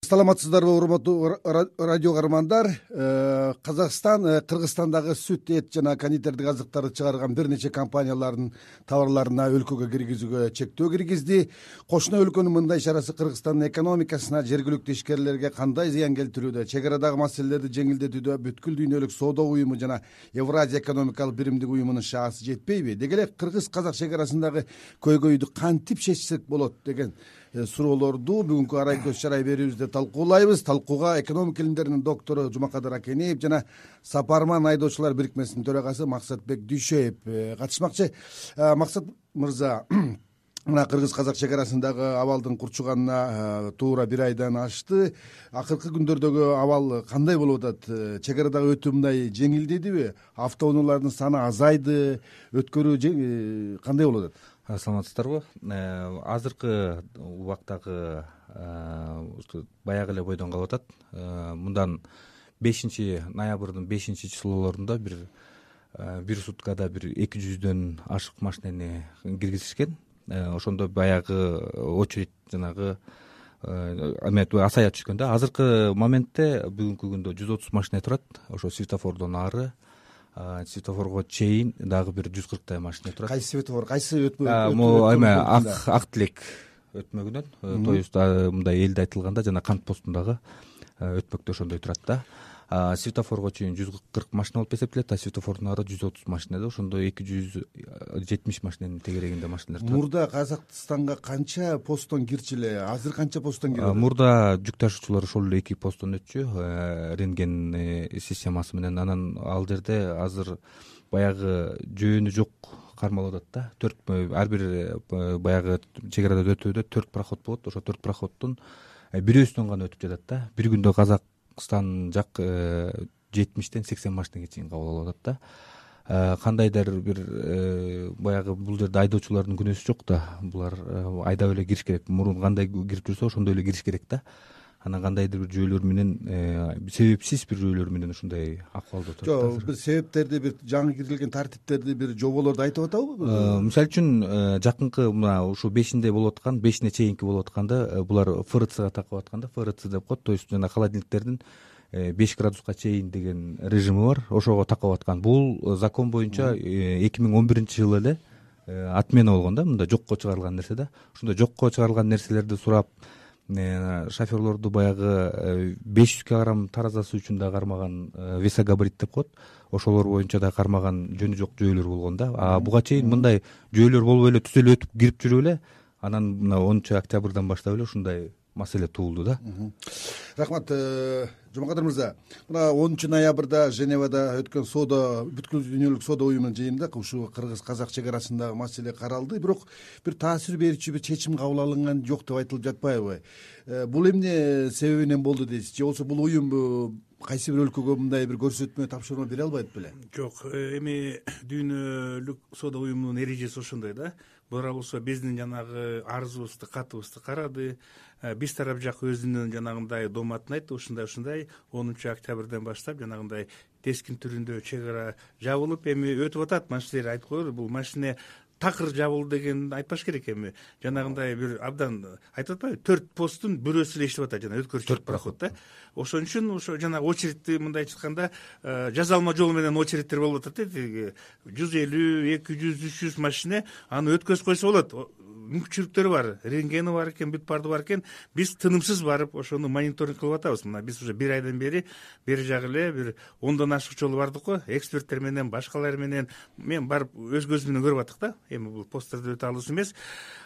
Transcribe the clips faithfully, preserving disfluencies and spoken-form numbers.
Саламатсыздарбы, урматтуу радио каармандар. Казакстан Кыргызстандагы сүт, эт жана кондитердик азыктарды чыгарган бир нече компаниялардын товарларына өлкөгө киргизүүгө чектөө киргизди. Кошуна өлкөнүн мындай чарасы Кыргызстандын экономикасына, жергиликтүү ишкерлерге кандай зыян келтирүүдө, чек арадагы маселелерди жеңилдетүүдө бүткүл дүйнөлүк соода уюму жана Евразия экономикалык биримдик уюмунун шаасы жетпейби? Деги эле кыргыз-казак чек арасындагы көйгөйдү кантип чечсек болот деген суроолорду бүгүнкү арай көз чарай берүүбүздө талкуулайбыз. Талкууга экономика илимдеринин доктору Жумакадыр Акенеев жана Сапарман айдоочулар бирикмесинин төрагасы Максатбек Дүйшөев катышмакчы. Максат мырза, мына кыргыз-казак чек арасындагы абалдын курчуганына туура бир айдан ашты. Акыркы күндөрдөгү абал кандай болуп атат? Чек арадагы өтүү мындай жеңилдедиби? Автоунаалардын саны азайды, өткөрүү кандай болуп атат? Саламатсыздарбы? Азыркы убактагы баягы эле бойдон калып атат. Мындан бешинчи ноябрдын бешинчи числолорунда бир бир суткада бир эки жүздөн ашык машинени киргизишкен. Ошондо баягы очередь жанагы асая түшкөн да. Азыркы моментте бүгүнкү күндө жүз отуз машина турат. Ошо светофордон ары светофорго чейин дагы бир жүз кырктай машина турат. Кайсы светофор, кайсы өтмө? Эме ак ак тилек өтмөгүнөн, то есть мындай элде айтылганда жана кант постундагы өтмөктө ошондой турат да. Светофорго чейин жүз кырк машина болуп эсептелет, а светофордун ары жүз отуз машина да. Ошондо эки жүз жетимиш машинанын тегерегинде машиналар турат. Мурда Казакстанга канча посттон кирчү эле? Азыр канча посттон кирип атат? Мурда жүк ташуучулар ошол эле эки посттон өтчү, рентген системасы менен. Анан ал жерде азыр баягы жөөнү жок кармалып атат да. Төрт ар бир баягы чек арада өтүүдө төрт проход болот. Ошо төрт проходдун бирөөсүнөн гана өтүп жатат да. Бир күндө Казакстан жак жетимиштен сексен машинеге чейин кабыл алып атат да. Кандайдыр бир баягы бул жерде айдоочулардын күнөөсү жок да. Булар айдап эле кириш керек. Мурун кандай кирип жүрсө ошондой эле кириш керек да. Анан кандайдыр бир жөөлөр менен себепсиз бир жөөлөр менен ушундай акыбалда отурат. Жок, бир себептерди, бир жаңы киргизилген тартиптерди, бир жоболорду айтып атабы? Мисалы үчүн жакынкы мына ушу бешинде болуп аткан, бешине чейинки болуп атканда булар ФРЦга такып атканда, ФРЦ деп коет, то есть жана холодильниктердин беш градуска чейин деген режими бар, ошого такап аткан. Бул закон боюнча эки миң он биринчи жылы эле отмена болгон да, мында жокко чыгарылган нерсе да. Ошондо жокко чыгарылган нерселерди сурап шоферлорду баягы беш жүз килограмм таразасы үчүн да кармаган, весогабарит деп коет, ошолор боюнча да кармаган жөнү жок жөөлөр болгон да. А буга чейин мындай жөөлөр болбой эле түз эле өтүп кирип жүрүп эле анан мына онунчу октябрдан баштап эле ушундай маселе туулду да. Рахмат, Жумакадыр мырза. Мына онунчу ноябрда Женевада өткөн соода, бүткүл дүйнөлүк соода уюмунун жыйынында ушу кыргыз-казак чек арасындагы маселе каралды, бирок бир таасир берүүчү бир чечим кабыл алынган жок деп айтылып жатпайбы? Бул эмне себебинен болду дейсиз? Же болбосо бул уюм кайсы бир өлкөгө мындай бир көрсөтмө, тапшырма бере албайт беле? Жок, эми дүйнөлүк соода уюмунун эрежеси ошондой да. Бура болсо биздин жанагы арызыбызды, катыбызды карады. Биз тарап жак өзүнүн жанагындай дооматын айтты. Ушундай ушундай онунчу октябрдан баштап жанагындай тескин түрүндө чек ара жабылып эми өтүп атат. Машинелер айтып коелу, бул машине такыр жабылды деген айтпаш керек. Эми жанагындай бир абдан айтып атпайбы, төрт посттун бирөөсү эле иштеп атат, жана өткөрүүчү төрт проход да. Ошон үчүн ошо жана очередти мындайча айтканда жазалма жол менен очередтер болуп атат да. жүз элүү, эки жүз, үч жүз машина аны өткөзүп койсо болот. Мүмкүнчүлүктөрү бар, рентгени бар экен, бүт барды бар экен. Биз тынымсыз барып ошону мониторинг кылып атабыз. Мына биз уже бир айдан бери бери жагы эле бир ондон ашык жолу бардык го, эксперттер менен, башкалар менен мен барып өз көзүм менен көрүп аттык да. Эми бул посттерди өтө алыс эмес.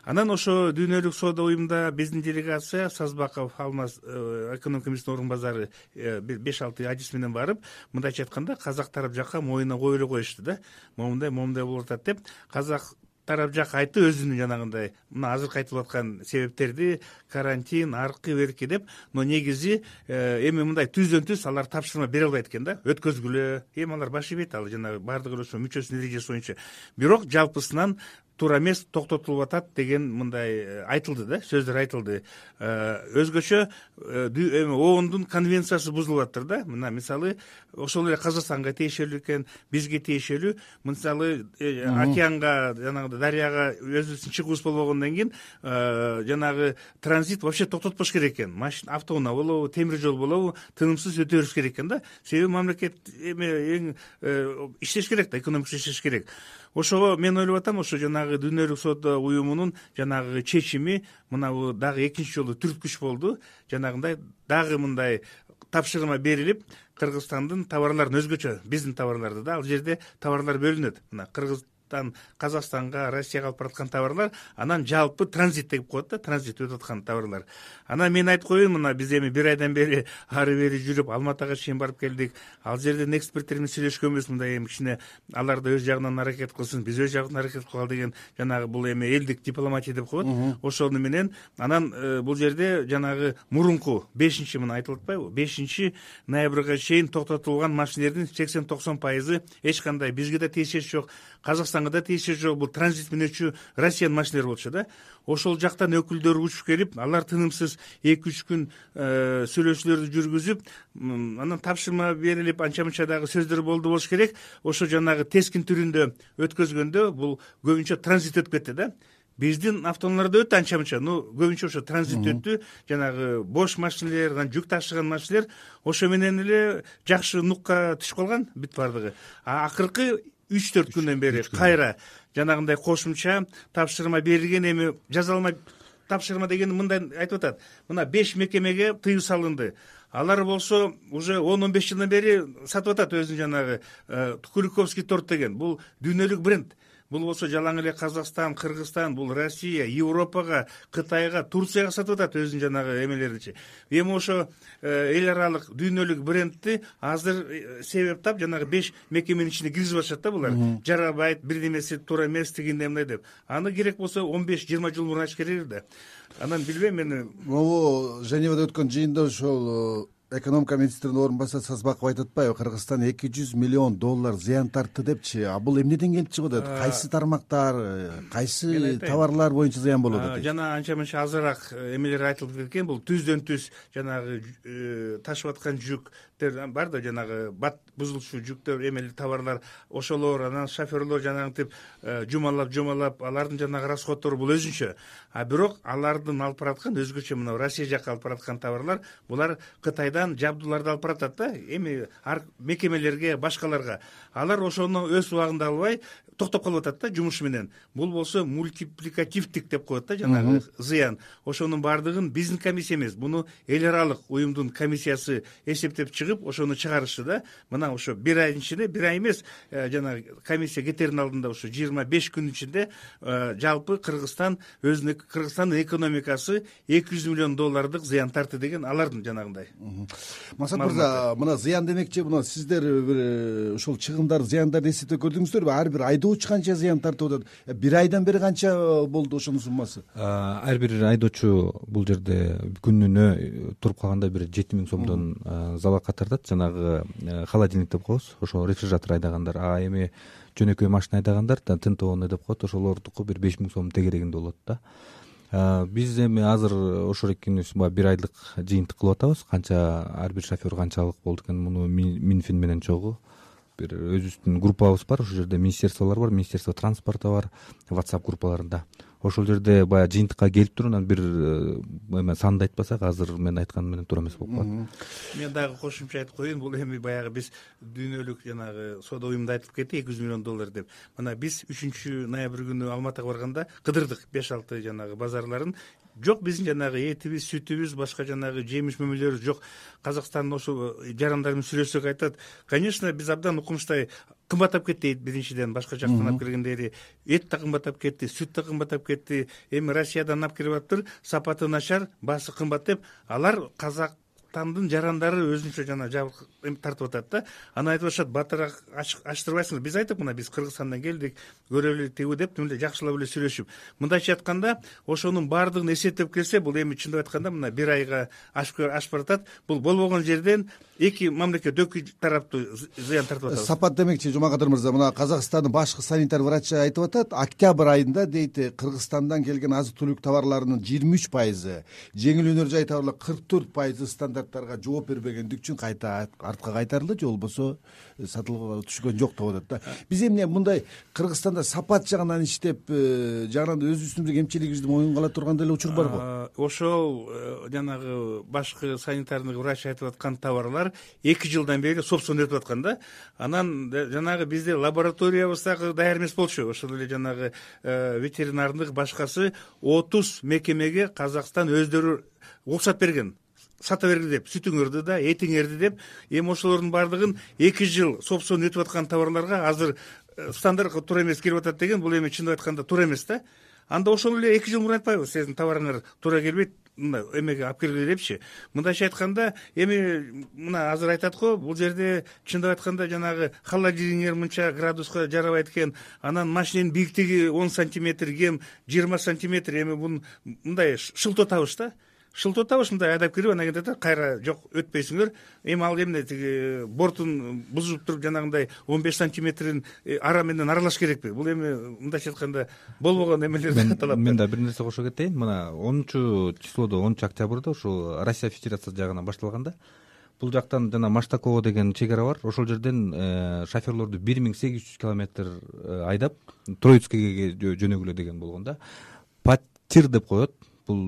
Анан ошо дүйнөлүк соода уюмунда биздин делегация Сазбаков Алмаз экономика министринин орун базары бир беш алты ажис менен барып, мындайча айтканда казак тарап жакка моюна коюп эле коюшту да. Момундай, момундай болуп атат деп, казак тарап жак айтты өзүнүн жанагындай мына азыркы айтылып аткан себептерди, карантин, аркы берки деп, но негизи эми мындай түздөн түз алар тапшырма бере албайт экен да, өткөзгүлө. Эми алар баш ийбейт, ал жанагы бардыгы ошо мүчөсүнүн эрежеси боюнча. Бирок жалпысынан туура эмес, токтотулуп атат деген мындай айтылды да, сөздөр айтылды. Өзгөчө эми оондун конвенциясы бузулуп атыр да. Мына мисалы ошол эле Казакстанга тиешелүү экен, бизге тиешелүү. Мисалы океанга, жанагы дарыяга өзүбүздүн чыгуубуз болбогондон кийин жанагы транзит вообще токтотпош керек экен. Машина, автоунаа болобу, темир жол болобу, тынымсыз өтө бериш керек экен да. Себеби мамлекет эми эң иштеш керек да, экономика иштеш керек. Ошого мен ойлоп атам, ошо жанагы Дүйнөлүк соода уюмунун жанагы чечими мына дагы экинчи жолу түрткүч болду. Жанагындай дагы мындай тапшырма берилип, Кыргызстандын товарларын өзгөчө, биздин товарларды да, ал жерде товарлар бөлүнөт. Мына Кыргыз Казакстанга, Россияга алып бараткан товарлар, анан жалпы транзит деп коет да, транзит өтүп аткан товарлар. Анан мен айтып коеюн, мына биз эми бир айдан бери ары бери жүрүп, Алматага чейин барып келдик. Ал жерден эксперттер менен сүйлөшкөнбүз, мындай эми кичине алар да өз жагынан аракет кылсын, биз өз жагынан аракет кылалы деген, жанагы бул эми элдик дипломатия деп коет. Ошону менен анан бул жерде жанагы мурунку бешинчи мына айтылып атпайбы, бешинчи ноябрга чейин токтотулган машинелердин сексен токсон пайызы эч кандай бизге да тиешеси жок, Казакстанга да тиешеси жок, бул транзит менен өтчү Россиянын машиналары болчу да. Ошол жактан өкүлдөр учуп келип, алар тынымсыз эки үч күн сүйлөшүүлөрдү жүргүзүп, анан тапшырма берилип, анча-мынча дагы сөздөр болду болуш керек. Ошо жанагы тескин түрүндө өткөзгөндө бул көбүнчө транзит өтүп кетти да. Биздин автоунааларда өттү анча-мынча, ну көбүнчө ошо транзит өттү. Жанагы бош машинелер, анан жүк ташыган машинелер ошо менен эле жакшы нукка түшүп калган бүт бардыгы. А акыркы үч төрт күндөн бери кайра жанагындай кошумча тапшырма берилген. Эми жаза алмай тапшырма деген мындай айтып атат. Мына беш мекемеге тыюу салынды. Алар болсо уже он он беш жылдан бери сатып атат өзүнүн жанагы Куликовский торт деген. Бул дүйнөлүк бренд. Бул болсо жалаң эле Казакстан, Кыргызстан, бул Россия, Европага, Кытайга, Турцияга сатып атат өзүнүн жанагы эмелеринчи. Эми ошо эл аралык дүйнөлүк брендти азыр себеп тап жанагы беш мекеменин ичине киргизип атышат да булар. Жарабайт, бир немеси туура эмес, тигиндей мындай деп. Аны керек болсо он беш жыйырма жыл мурун айтыш керек да. Анан билбейм мен. Могу Женевада өткөн жыйында ошол экономика министринин орун басары Сазбаков айтып атпайбы, Кыргызстан эки жүз миллион доллар зыян тартты депчи. А бул эмнеден келип чыгып атат? Кайсы тармактар, кайсы товарлар боюнча зыян болуп атат? Жана анча-мынча азыраак эмелер айтылып кеткен. Бул түздөн түз жанагы ташып аткан жүктөр бар да, жанагы бат бузулчу жүктөр, эмелер товарлар, ошолор, анан шоферлор жанагынтип жумалап жумалап алардын жанагы расходтору бул өзүнчө. А бирок алардын алып бараткан өзгөчө мына Россия жакка алып бараткан товарлар, булар Кытайдан жабдууларды алып баратат да, эми мекемелерге, башкаларга. Алар ошону өз убагында албай токтоп калып атат да жумуш менен. Бул болсо мультипликативдик деп коет да, жанагы зыян. Ошонун баардыгын биздин комиссия эмес, буну эл аралык уюмдун комиссиясы эсептеп чыгып, ошону чыгарышты да. Мына ошо бир айдын ичинде, бир ай эмес, жанагы комиссия кетердин алдында ошо жыйырма беш күн ичинде жалпы Кыргызстан өзүнүн Кыргызстандын экономикасы эки жүз миллион доллардык зыян тартты деген алардын жанагындай. Масат мырза, мына зыян демекчи, мына сиздер бир ушул чыгымдар, зыяндарды эсептеп көрдүңүздөрбү? Ар бир айдоочу канча зыян тартып атат? Бир айдан бери канча болду ошонун суммасы? Ар бир айдоочу бул жерде күнүнө туруп калганда бир жети миң сомдон залалга тартат. Жанагы холодильник деп коебуз, ошо рефрижератор айдагандар. А эми жөнөкөй машина айдагандар, тынтоонный деп коет, ошолордуку бир беш миң сом тегерегинде болот да. Биз эми азыр ошол экинибиз бир айлык жыйынтык кылып атабыз. Канча ар бир шофер канчалык болду экен, муну Минфин менен чогуу бир өзүбүздүн группабыз бар. Ошол жерде министерстволор бар, министерство транспорта бар, WhatsApp группаларында. Ошол жерде баягы жыйынтыкка келип туруп, анан бир эме санды айтпасак, азыр мен айтканым менен туура эмес болуп калат. Мен дагы кошумча айтып коеюн, бул эми баягы биз дүйнөлүк жанагы соода уюмунда айтып кетти эки жүз миллион доллар деп. Мына биз үчүнчү ноябрь күнү Алматага барганда кыдырдык беш алты жанагы базарларын. Жок биздин жанагы этибиз, сүтүбүз, башка жанагы жемиш мөмөлөрүбүз жок. Казакстандын ошо жарандар менен сүйлөшсөк айтат, конечно, биз абдан укмуштай кымбаттап кетти дейт. Биринчиден башка жактан алып келгендери эт да кымбаттап кетти, сүт да кымбаттап кетти. Эми Россиядан алып келип атыптыр, сапаты начар, баасы кымбат деп. Алар казак кыргызстандын жарандары өзүнчө жана жабык тартып атат да. Аны айтып атышат, батыраак ачтырбайсыңбы? Биз айттык, мына биз Кыргызстандан келдик, көрө билет тигүү деп, мындай жакшылап эле сүйлөшүп. Мындайча айтканда, ошонун баардыгын эсептеп келсе, бул эми чындап айтканда мына бир айга ашып ашып баратат. Бул болбогон жерден эки мамлекет, эки тараптуу зыян тартып атат. Сапат демекчи, Жумакадыр мырза, мына Казакстандын башкы санитар врачы айтып атат, октябрь айында дейт, Кыргызстандан келген азык-түлүк товарларынын жыйырма үч пайызы, жеңил өнөр жай товарлар кырк төрт пайызы стандарттарга жооп бербегендик үчүн кайта артка кайтарылды, же болбосо сатылууга түшкөн жок деп атат да. Биз эмне мындай Кыргызстанда сапат жагынан иштеп, жагынан өзүбүздүн кемчилигибизди моюнга ала турган деле учур барбы? Ошол жанагы башкы санитарный врач айтып аткан товарлар эки жылдан бери собственно өтүп аткан да. Анан жанагы бизде лабораториябыз дагы даяр эмес болчу. Ошол эле жанагы ветеринардык башкасы отуз мекемеге Казакстан өздөрү уруксат берген, сата бергиле деп, сүтүңөрдү да, этиңерди деп. Эми ошолордун баардыгын эки жыл собственно өтүп аткан товарларга азыр стандартка туура эмес кирип атат деген, бул эми чындап айтканда туура эмес да. Анда ошол эле эки жыл мурун айтпайбы, сиздин товарыңар туура келбейт, мына эмеге алып келгиле депчи. Мындайча айтканда, эми мына азыр айтат го, бул жерде чындап айтканда жанагы холодильник мынча градуска жарабайт экен, анан машиненин бийиктиги он сантиметр, кем жыйырма сантиметр, эми бун мындай шылтоо табыш да. Шылтоо табыш мындай айдап кирип, анан кийин айтат, кайра жок өтпөйсүңөр. Эми ал эмне тиги бортун бузуп туруп жанагындай он беш сантиметрин ара менен аралаш керекпи? Бул эми мындайча айтканда болбогон эмелерди талап. Мен да бир нерсе кошо кетейин. Мына онунчу числодо, онунчу октябрда ушул Россия Федерациясы жагынан башталганда, бул жактан жана Маштаково деген чек ара бар. Ошол жерден шоферлорду бир миң сегиз жүз километр айдап Троицкиге жөнөгүлө деген болгон да. Патир деп коет. Бул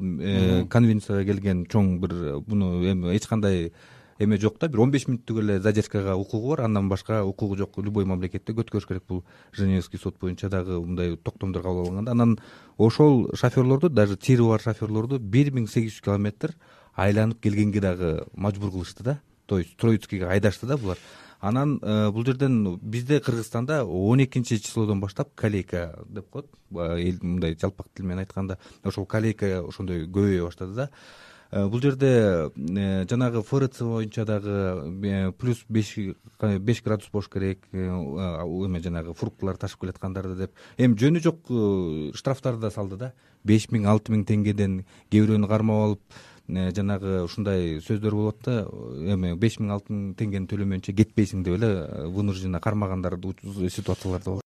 конвенцияга келген чоң бир, буну эми эч кандай эме жок да, бир он беш мүнөттүк эле задержкага укугу бар, андан башка укугу жок. Любой мамлекетте өткөрүш керек. Бул Женевский сот боюнча дагы мындай токтомдор кабыл алынган да. Анан ошол шоферлорду, даже тири бар шоферлорду бир миң сегиз жүз километр айланып келгенге дагы мажбур кылышты да. То есть Троицкиге айдашты да булар. Анан бул жерден бизде Кыргызстанда он экинчи числодон баштап калейка деп коет, мындай жалпак тил менен айтканда, ошол калейка ошондой көбөйө баштады да. Бул жерде жанагы ФРЦ боюнча дагы плюс беш градус болуш керек, эме жанагы фруктылар ташып келаткандарды деп. Эми жөнү жок штрафтарды да салды да. беш миң алты миң теңгеден кээ бирөөнү кармап алып, жанагы ушундай сөздөр болот да, эми беш миң алты миң теңгени төлөмөйүнчө кетпейсиң деп эле вынужденно кармагандар ситуациялар да болот.